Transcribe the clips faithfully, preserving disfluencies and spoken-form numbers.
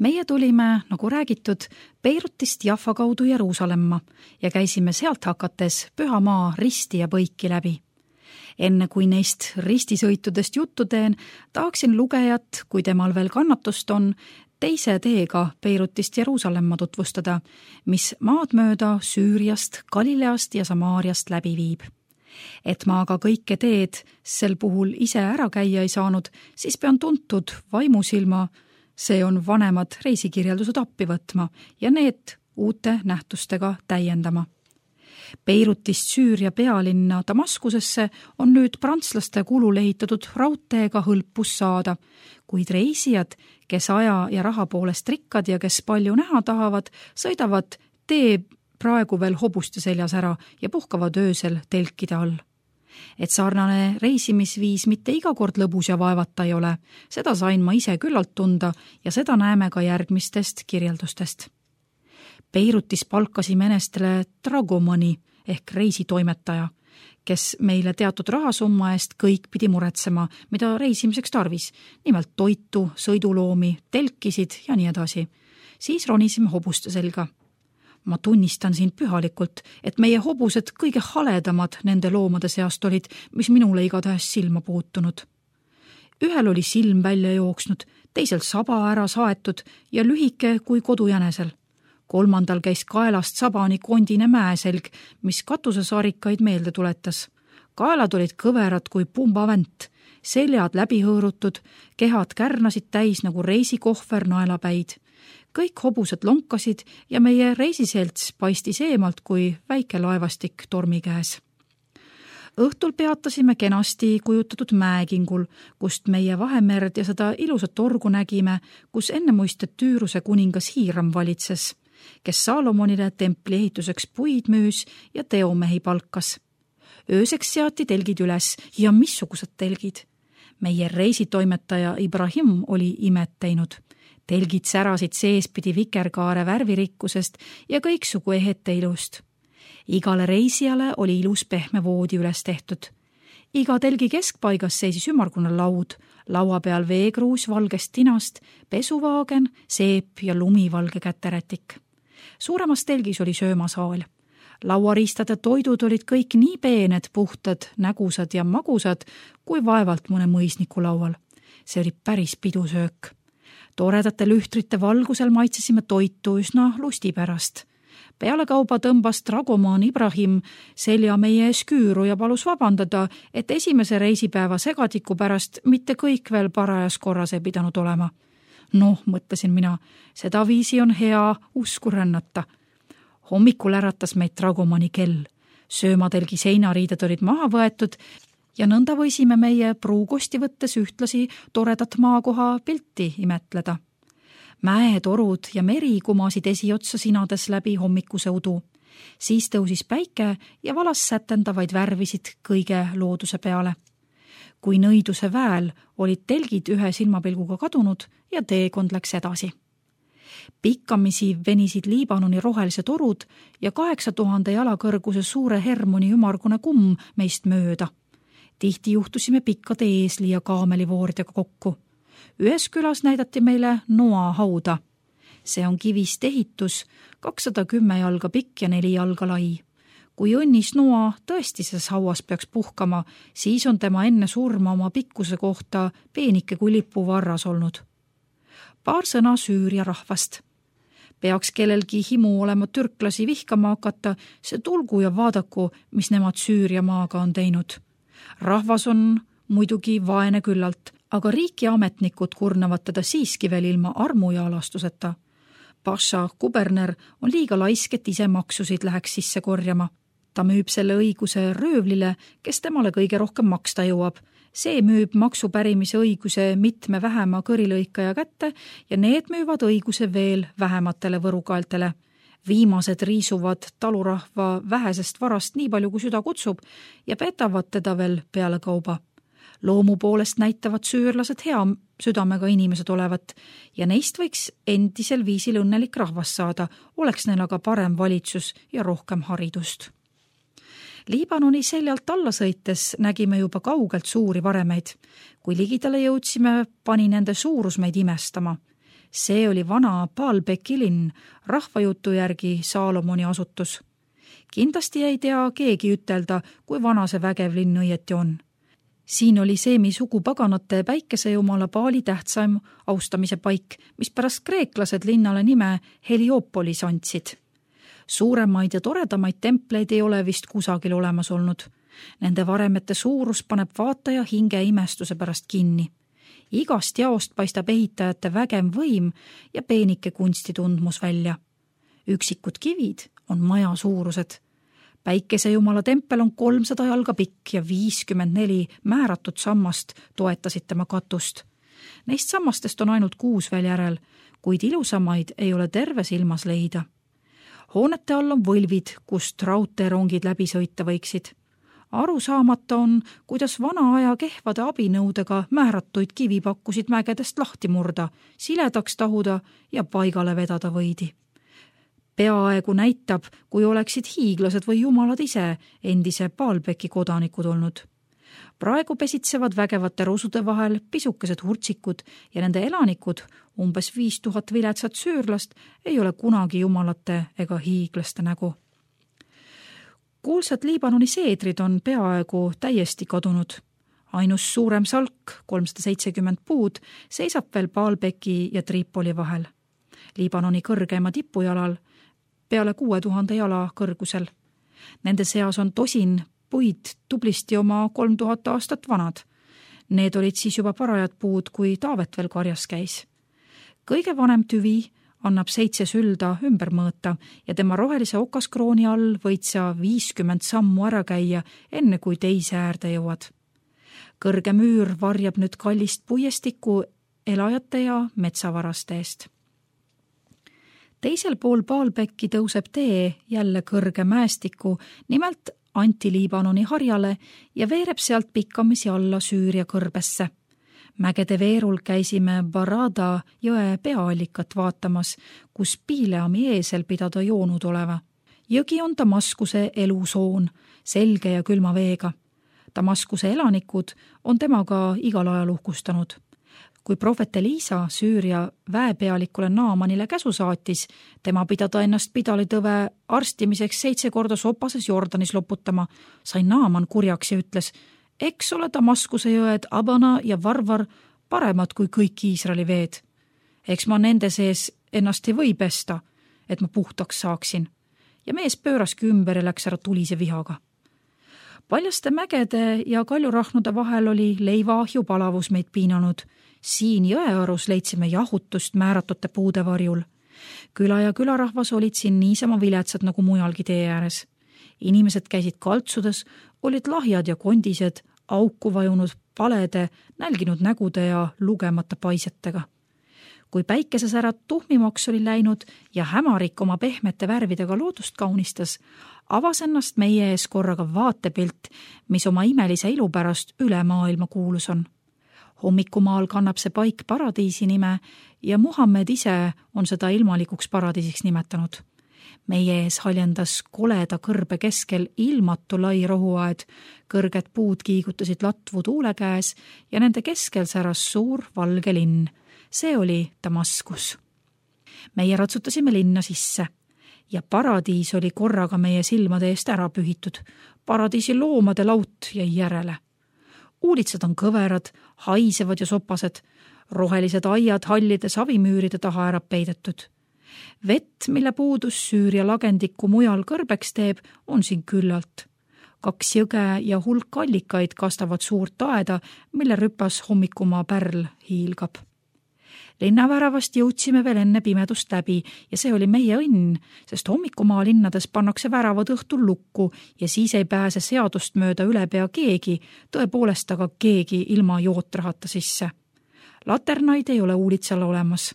Meie tulime, nagu räägitud, Beirutist Jaffa kaudu Jeruusalemma ja käisime sealt hakates pühamaa risti ja põiki läbi. Enne kui neist ristisõitudest juttu teen, tahaksin lugejat, kui temal veel kannatust on, teise teega Beirutist Jeruusalemma tutvustada, mis maad mööda Süüriast, Galileast ja Samaariast läbi viib. Et ma aga kõike teed sel puhul ise ära käia ei saanud, siis pean tuntud vaimusilma, see on vanemad reisikirjeldused appi võtma ja need uute nähtustega täiendama. Beirutist Süüria pealinna Damaskusesse on nüüd prantslaste kulul ehitatud raudteega hõlpus saada, kuid reisijad, kes aja ja raha poolest rikkad ja kes palju näha tahavad, sõidavad tee praegu veel hobuste seljas ära ja puhkavad öösel telkide all. Et sarnane reisimisviis mitte iga kord lõbus ja vaevata ei ole, seda sain ma ise küllalt tunda ja seda näeme ka järgmistest kirjeldustest. Beirutis palkasime enestele dragomani ehk reisitoimetaja, kes meile teatud rahasumma eest kõik pidi muretsema, mida reisimiseks tarvis, nimelt toitu, sõiduloomi, telkisid ja nii edasi. Siis ronisime hobuste selga. Ma tunnistan siin pühalikult, et meie hobused kõige haledamad nende loomade seast olid, mis minule igatahes silma puutunud. Ühel oli silm välja jooksnud, teisel saba ära saetud ja lühike kui kodujänesel. Kolmandal käis kaelast sabani kondine mäeselg, mis katusesarikaid meelde tuletas. Kaelad olid kõverad kui pumbavänt, seljad läbi hõõrutud, kehad kärnasid täis nagu reisikohver naelapäid. Kõik hobused lonkasid ja meie reisiselts paistis eemalt kui väike laevastik tormi käes. Õhtul peatasime kenasti kujutatud mäekingul, kust meie Vahemerd ja seda ilusat torgu nägime, kus enne muistet Tüüruse kuningas Hiiram valitses, kes Saalomonile templi ehituseks puid müüs ja teomehi palkas. Ööseks seati telgid üles ja missugused telgid. Meie reisitoimetaja Ibrahim oli imet teinud. Telgid särasid seespidi vikerkaare värvirikkusest ja kõiksugu ehete ilust. Igale reisijale oli ilus pehme voodi üles tehtud. Iga telgi keskpaigas seisis ümmargune laud, laua peal veekruus valgest tinast, pesuvaagen, seep ja lumivalge käterätik. Suuremas telgis oli söömasaal. Lauariistade toidud olid kõik nii peened, puhtad, nägusad ja magusad, kui vaevalt mõne mõisniku laual. See oli päris pidusöök. Toredate lühtrite valgusel maitsesime toitu üsna lusti pärast. Peale kauba tõmbas dragomaan Ibrahim selja meie ees küüru ja palus vabandada, et esimese reisipäeva segatiku pärast mitte kõik veel parajas korras ei pidanud olema. Noh, mõtlesin mina, seda viisi on hea usku rännata. Hommikul äratas meid dragomani kell. Söömatelgi seinariided olid maha võetud ja nõnda võisime meie pruukosti võttes ühtlasi toredat maakoha pilti imetleda. Mäetorud ja meri kumasid esiotsa sinades läbi hommikuse udu. Siis tõusis päike ja valas sätendavaid värvisid kõige looduse peale. Kui nõiduse väel olid telgid ühe silmapilguga kadunud ja teekond läks edasi. Pikkamisi venisid Liibanoni rohelised orud ja kaheksa tuhande jala kõrguse suure Hermoni ümargune kumm meist mööda. Tihti juhtusime pikkade eesli ja kaamelivoordega kokku. Ühes külas näidati meile Noa hauda. See on kivist ehitus, kakssada kümme jalga pikk ja neli jalga lai. Kui õnnis Noa tõesti selles hauas peaks puhkama, siis on tema enne surma oma pikkuse kohta peenike kui lipu varras olnud. Paar sõna Süüria rahvast. Peaks kellelgi himu olema türklasi vihkama hakata, see tulgu ja vaadaku, mis nemad Süüria maaga on teinud. Rahvas on muidugi vaene küllalt, aga riik ja ametnikud kurnavad teda siiski veel ilma armu ja alastuseta. Pasha kuberner on liiga laisk, et ise maksusid läheks sisse korjama. Ta müüb selle õiguse röövlile, kes temale kõige rohkem maksta jõuab. See müüb maksupärimise õiguse mitme vähema kõrilõikaja kätte ja need müüvad õiguse veel vähematele võrukaeltele. Viimased riisuvad talurahva vähesest varast nii palju, kui süda kutsub ja petavad teda veel peale kauba. Loomu poolest näitavad süürlased hea südamega inimesed olevat ja neist võiks endisel viisil õnnelik rahvas saada, oleks neil aga parem valitsus ja rohkem haridust. Liibanoni seljalt alla sõites nägime juba kaugelt suuri varemeid. Kui ligidale jõudsime, pani nende suurus meid imestama. See oli vana Baalbeki linn, rahvajutu järgi Saalomoni asutus. Kindlasti ei tea keegi ütelda, kui vana see vägev linn õieti on. Siin oli Seemi sugupaganate päikesejumala Baali tähtsaim austamise paik, mis pärast kreeklased linnale nime Helioopolis andsid. Suuremaid ja toredamaid templeid ei ole vist kusagil olemas olnud. Nende varemete suurus paneb vaataja hinge imestuse pärast kinni. Igast jaost paistab ehitajate vägem võim ja peenike kunstitundmus välja. Üksikud kivid on maja suurused. Päikesejumala tempel on kolmsada jalga pikk ja viiskümmend neli määratud sammast toetasid tema katust. Neist sammastest on ainult kuus veel järel, kuid ilusamaid ei ole terves ilmas leida. Hoonete all on võlvid, kust raudteerongid läbi sõita võiksid. Aru saamata on, kuidas vana aja kehvade abinõudega määratuid kivi pakkusid mägedest lahti murda, siledaks tahuda ja paigale vedada võidi. Peaaegu näitab, kui oleksid hiiglased või jumalad ise endise Baalbeki kodanikud olnud. Praegu pesitsevad vägevate rusude vahel pisukesed hurtsikud ja nende elanikud, umbes viis tuhat viletsat süürlast, ei ole kunagi jumalate ega hiiglaste nägu. Kuulsad Liibanoni seedrid on peaaegu täiesti kadunud. Ainus suurem salk, kolmsada seitsekümmend puud, seisab veel Baalbeki ja Tripoli vahel. Liibanoni kõrgeima tipujalal, peale kuue tuhande jala kõrgusel. Nende seas on tosin puid tublisti oma kolm tuhat aastat vanad. Need olid siis juba parajad puud, kui Taavet veel karjas käis. Kõige vanem tüvi annab seitse sülda ümber mõõta ja tema rohelise okaskrooni all võid sa viiskümmend sammu ära käia, enne kui teise äärde jõuad. Kõrge müür varjab nüüd kallist puiestikku elajate ja metsavaraste eest. Teisel pool Baalbeki tõuseb tee jälle kõrge mäestiku, nimelt Anti-Liibanoni harjale ja veereb sealt pikkamisi alla Süüria kõrbesse. Mägede veerul käisime Barada jõe peaallikat vaatamas, kus Piileami eesel pidada joonud oleva. Jõgi on Damaskuse elusoon, selge ja külma veega. Damaskuse elanikud on temaga igal ajal uhkustanud. Kui prohvet Eliisa Süüria väepealikule Naamanile käsu saatis, tema pidada ennast pidalitõve arstimiseks seitse korda sopases Jordanis loputama, sai Naaman kurjaks ja ütles, eks ole Damaskuse jõed Abana ja Varvar paremad kui kõik Iisraeli veed. Eks ma nende sees ennast ei või pesta, et ma puhtaks saaksin. Ja mees pööraski ümber ja läks ära tulise vihaga. Paljaste mägede ja kaljurahnude vahel oli leivaahju palavus meid piinanud. Siin jõearus leidsime jahutust määratute puude varjul. Küla ja külarahvas olid siin niisama viletsad nagu mujalgi tee ääres. Inimesed käisid kaltsudes, olid lahjad ja kondised, auku vajunud palede, nälginud nägude ja lugemata paisetega. Kui päikesesärad tuhmimaks oli läinud ja hämarik oma pehmete värvidega loodust kaunistas, avas ennast meie ees korraga vaatepilt, mis oma imelise ilu pärast üle maailma kuulus on. Hommikumaal kannab see paik paradiisi nime ja Muhammed ise on seda ilmalikuks paradiisiks nimetanud. Meie ees haljendas koleda kõrbe keskel ilmatu lai rohuaed, kõrged puud kiigutasid latvu tuule käes ja nende keskel säras suur valge linn. See oli Damaskus. Meie ratsutasime linna sisse ja paradiis oli korraga meie silmade eest ära pühitud. Paradiisi loomade laut jäi järele. Uulitsad on kõverad, haisevad ja sopased, rohelised aiad hallide savimüüride taha ära peidetud. Vett, mille puudus Süüria lagendikku mujal kõrbeks teeb, on siin küllalt. Kaks jõge ja hulk allikaid kastavad suurt aeda, mille rüpas hommikumaa pärl hiilgab. Linnaväravast jõudsime veel enne pimedust läbi ja see oli meie õnn, sest hommikumaa linnades pannakse väravad õhtul lukku ja siis ei pääse seadust mööda üle pea keegi, tõepoolest aga keegi ilma jootrahata sisse. Laternaid ei ole uulitsal olemas.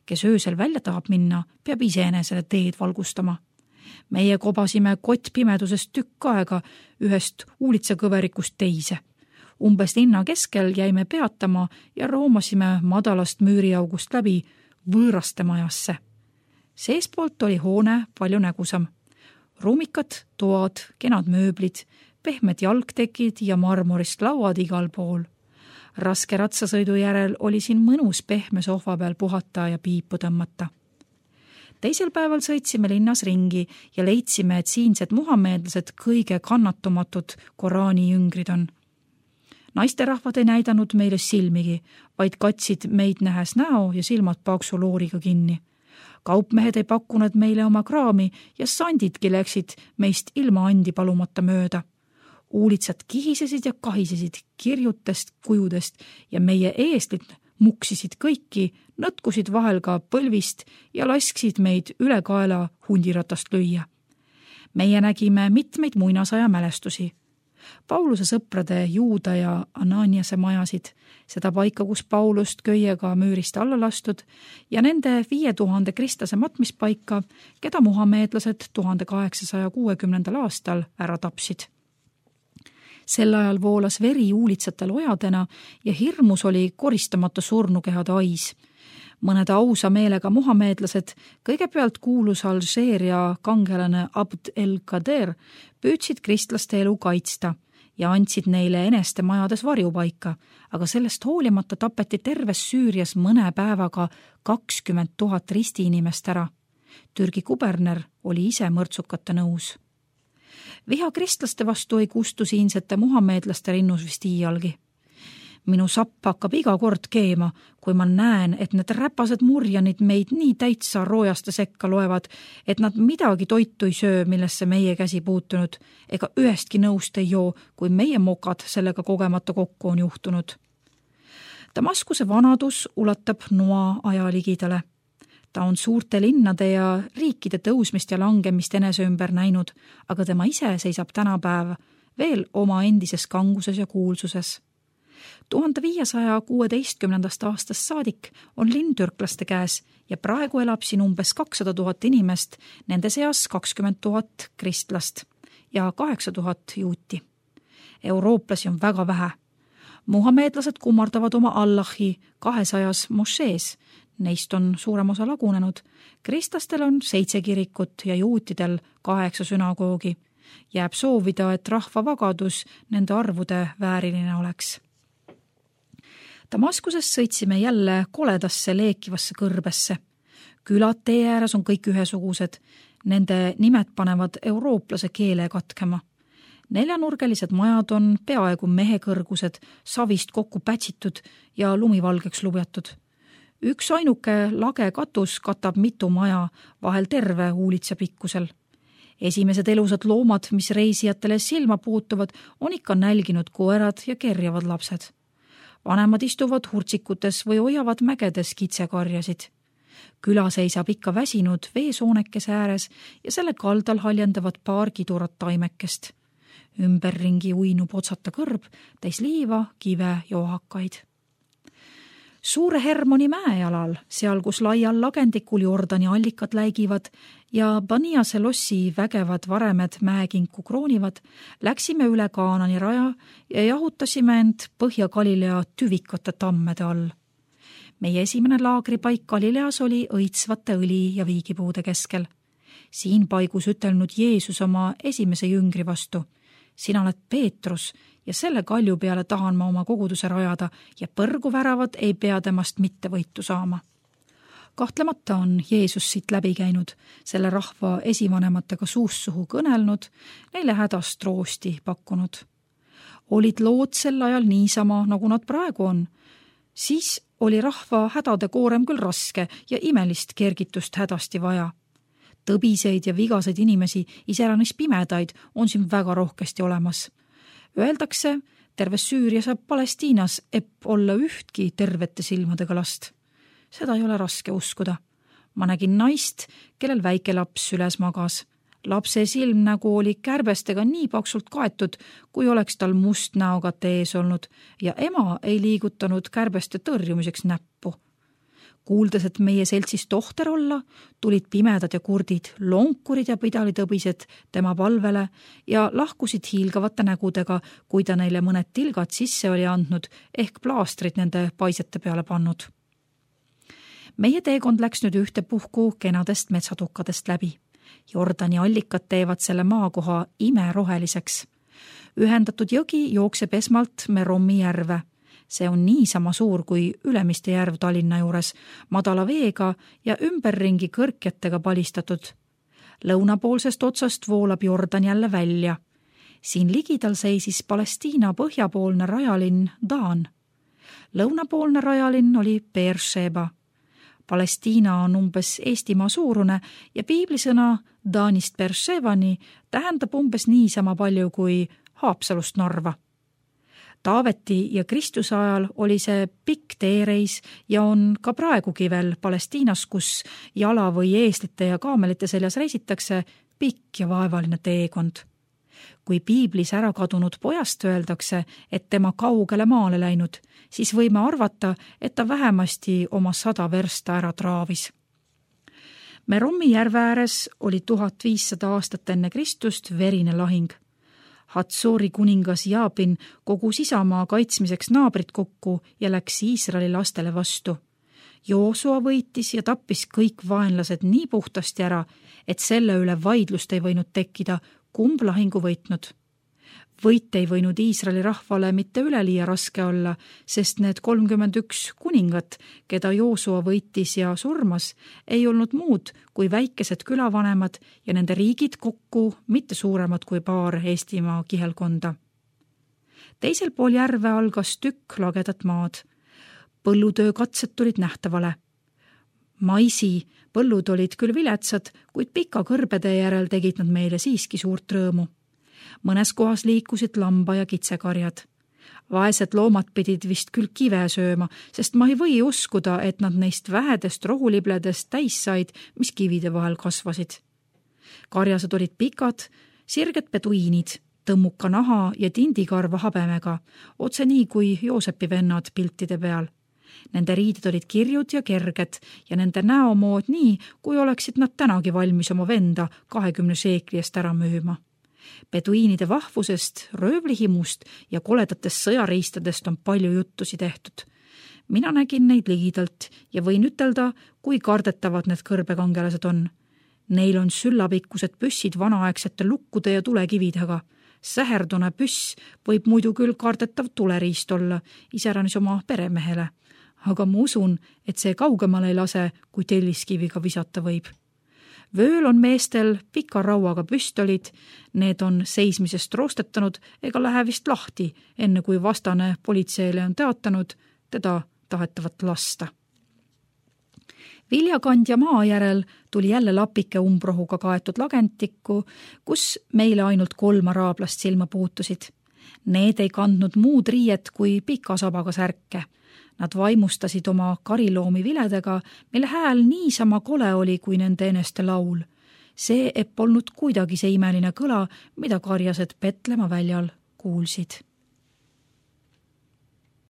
Kes öösel välja tahab minna, peab iseenesele teed valgustama. Meie kobasime kott pimedusest tükk aega ühest uulitsakõverikust teise. Umbes linna keskel jäime peatama ja roomasime madalast müüriaugust läbi võõraste majasse. Seespoolt oli hoone palju nägusam. Ruumikad, toad, kenad mööblid, pehmed jalgtekid ja marmorist lauad igal pool. raske ratsasõidu järel oli siin mõnus pehme sohva peal puhata ja piipu tõmmata. Teisel päeval sõitsime linnas ringi ja leidsime, et siinsed muhameedlased kõige kannatumatud Koraani jüngrid on. Naisterahvad ei näidanud meile silmigi, vaid katsid meid nähes näo ja silmad paksu looriga kinni. Kaupmehed ei pakkunud meile oma kraami ja sandidki läksid meist ilma andi palumata mööda. Uulitsad kihisesid ja kahisesid kirjutest, kujudest ja meie eeslid muksisid kõiki, nõtkusid vahel ka põlvist ja lasksid meid üle kaela hundiratast lüüa. Meie nägime mitmeid muinasaja mälestusi. Pauluse sõprade Juuda ja Ananiase majasid, seda paika, kus Paulust köiega müürist alla lastud ja nende viie tuhande kristlase matmispaika, keda muhameedlased tuhande kaheksasaja kuuekümnendal aastal ära tapsid. Sel ajal voolas veri uulitsatel ojadena ja hirmus oli koristamata surnukehade ais. Mõned ausa meelega muhameedlased, kõigepealt kuulus Alžeeria kangelane Abd el-Kader, püüdsid kristlaste elu kaitsta ja andsid neile eneste majades varjupaika, aga sellest hoolimata tapeti terves Süürias mõne päevaga kakskümmend tuhat ristiinimest ära. Türgi kuberner oli ise mõrtsukate nõus. Viha kristlaste vastu ei kustu siinsete muhameedlaste rinnus vist iialgi. Minu sapp hakkab iga kord keema, kui ma näen, et need räpased murjanid meid nii täitsa roojaste sekka loevad, et nad midagi toitu ei söö, millesse meie käsi puutunud, ega ühestki nõust ei joo, kui meie mokad sellega kogemata kokku on juhtunud. Damaskuse vanadus ulatab noa aja ligidale. Ta on suurte linnade ja riikide tõusmist ja langemist enese ümber näinud, aga tema ise seisab tänapäev veel oma endises kanguses ja kuulsuses. tuhande viiesaja kuueteistkümnendast aastast saadik on linn türklaste käes ja praegu elab siin umbes kakssada tuhat inimest, nende seas kakskümmend tuhat kristlast ja kaheksa tuhat juuti. Eurooplasi on väga vähe. Muhameedlased kummardavad oma Allahi kahesajas mošees, neist on suurem osa lagunenud. Kristlastel on seitse kirikut ja juutidel kaheksa sünagoogi. Jääb soovida, et rahva vagadus nende arvude vääriline oleks. Damaskuses sõitsime jälle koledasse leekivasse kõrbesse. Külad tee ääres on kõik ühesugused. Nende nimed panevad eurooplase keele katkema. Neljanurgelised majad on peaaegu mehekõrgused, savist kokku pätsitud ja lumivalgeks lubjatud. Üks ainuke lage katus katab mitu maja, vahel terve uulitsa pikkusel. Esimesed elusad loomad, mis reisijatele silma puutuvad, on ikka nälginud koerad ja kerjavad lapsed. Vanemad istuvad hurtsikutes või hoiavad mägedes kitsekarjasid. Küla seisab ikka väsinud veesoonekese ääres ja selle kaldal haljendavad paar kidurat taimekest. Ümberringi uinub otsata kõrb, täis liiva, kive ja ohakaid. Suure Hermoni mäejalal, seal kus laial lagendikul Jordani allikad läigivad ja Baniase lossi vägevad varemed mäekinku kroonivad, läksime üle Kaanani raja ja jahutasime end Põhja-Galilea tüvikate tammede all. Meie esimene laagripaik Galileas oli õitsvate õli ja viigipuude keskel. Siin paigus ütelnud Jeesus oma esimese jüngri vastu. Sina oled Peetrus ja selle kalju peale tahan ma oma koguduse rajada ja põrguväravad ei pea temast mitte võitu saama. Kahtlemata on Jeesus siit läbi käinud, selle rahva esivanematega suust suhu kõnelnud, neile hädast roosti pakkunud. Olid lood sel ajal niisama, nagu nad praegu on. Siis oli rahva hädade koorem küll raske ja imelist kergitust hädasti vaja. Tõbiseid ja vigaseid inimesi, iseäranis pimedaid, on siin väga rohkesti olemas. Öeldakse, terves Süürias ja Palestiinas epp olla ühtki tervete silmadega last. Seda ei ole raske uskuda. Ma nägin naist, kellel väike laps süles magas. Lapse silmnägu oli kärbestega nii paksult kaetud, kui oleks tal must näokate ees olnud ja ema ei liigutanud kärbeste tõrjumiseks näppu. Kuuldes, et meie seltsis tohter olla, tulid pimedad ja kurdid, lonkurid ja pidalitõbised tema palvele ja lahkusid hiilgavate nägudega, kui ta neile mõned tilgad sisse oli andnud ehk plaastrid nende paisete peale pannud. Meie teekond läks nüüd ühte puhku kenadest metsatukkadest läbi. Jordani allikad teevad selle maakoha imeroheliseks. Ühendatud jõgi jookseb esmalt Merommi järve. See on niisama suur kui Ülemiste järv Tallinna juures, madala veega ja ümberringi kõrkjatega palistatud. Lõunapoolsest otsast voolab Jordan jälle välja. Siin ligidal seisis Palestiina põhjapoolne rajalinn Daan. Lõunapoolne rajalinn oli Beersheba. Palestiina on umbes Eestimaa suurune ja piiblisõna Daanist Beershebani tähendab umbes niisama palju kui Haapsalust Narva. Taaveti ja Kristuse ajal oli see pikk teereis ja on ka praegugi veel Palestiinas, kus jala või eeslite ja kaamelite seljas reisitakse, pikk ja vaevaline teekond. Kui piiblis ära kadunud pojast öeldakse, et tema kaugele maale läinud, siis võime arvata, et ta vähemasti oma sada versta ära traavis. Meromi järve ääres oli tuhat viissada aastat enne Kristust verine lahing. Hatsori kuningas Jaabin kogus isamaa kaitsmiseks naabrid kokku ja läks Iisraeli lastele vastu. Joosua võitis ja tappis kõik vaenlased nii puhtasti ära, et selle üle vaidlust ei võinud tekkida, kumb lahingu võitnud. Võit ei võinud Iisraeli rahvale mitte üleliia raske olla, sest need kolmkümmend üks kuningat, keda Joosua võitis ja surmas, ei olnud muud kui väikesed külavanemad ja nende riigid kokku mitte suuremad kui paar Eestimaa kihelkonda. Teisel pool järve algas tükk lagedat maad. Põllutöö katsed tulid nähtavale. Maisi põllud olid küll viletsad, kuid pika kõrbede järel tegid nad meile siiski suurt rõõmu. Mõnes kohas liikusid lamba- ja kitsekarjad. Vaesed loomad pidid vist küll kive sööma, sest ma ei või uskuda, et nad neist vähedest rohulibledest täis said, mis kivide vahel kasvasid. Karjased olid pikad, sirged peduiinid, tõmmuka naha ja tindikarva habemega, otse nii kui Joosepi vennad piltide peal. Nende riided olid kirjud ja kerged ja nende näomood nii, kui oleksid nad tänagi valmis oma venda kahekümne seekli eest ära müüma. Peduiinide vahvusest, röövlihimust ja koledatest sõjariistadest on palju juttusi tehtud. Mina nägin neid ligidalt ja võin ütelda, kui kardetavad need kõrbekangelased on. Neil on süllapikkused püssid vanaaegsete lukkude ja tulekividega. Säherdune püss võib muidu küll kardetav tuleriist olla, iseäranis oma peremehele. Aga ma usun, et see kaugemale ei lase, kui telliskiviga visata võib. Vööl on meestel pika rauaga püstolid, need on seismisest roostetanud ega lähe vist lahti, enne kui vastane politseile on teatanud, teda tahetavat lasta. Viljakandja maa järel tuli jälle lapike umbrohuga kaetud lagentikku, kus meile ainult kolm araablast silma puutusid. Need ei kandnud muud riiet kui pika sabaga särke. Nad vaimustasid oma kariloomi viledega, mille hääl niisama kole oli kui nende eneste laul. See ei polnud kuidagi see imeline kõla, mida karjased Petlema väljal kuulsid.